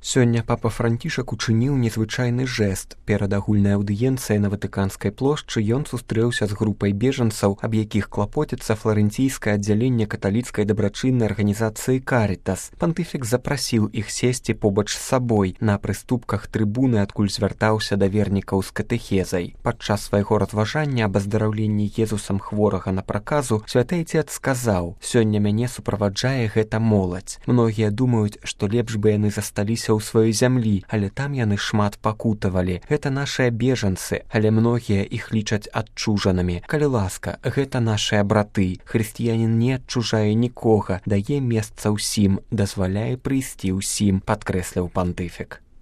Сёння папа Францішак учыніў незвычайны жэст. Перад агульнай аўдыенцыяй на Ватыканскай плошчы ён сустрэўся з групай бежанцаў, аб якіх клапоціцца фларэнційскае аддзяленне каталіцкай дабрачыннай арганізацыі «Карітас». Пантыфік запрасіў іх сесці побач з сабой на прыступках трыбуны, адкуль звяртаўся да вернікаў з катэхезай. Падчас свайго разважання аб аздараўленні Езусам хворага на праказу святы Айцец сказаў: «Сёння мяне суправаджае гэта моладзь. Многія думаюць, што лепш бы яны засталіся ў сваёй зямлі, але там яны шмат пакутавалі. Гэта нашыя бежанцы, але многія іх лічаць адчужанымі. Калі ласка, гэта нашыя браты. Хрысціянін не адчужае нікога, дае месца ўсім, дазваляе прыйсці ўсім», падкрэсліў пантыфік.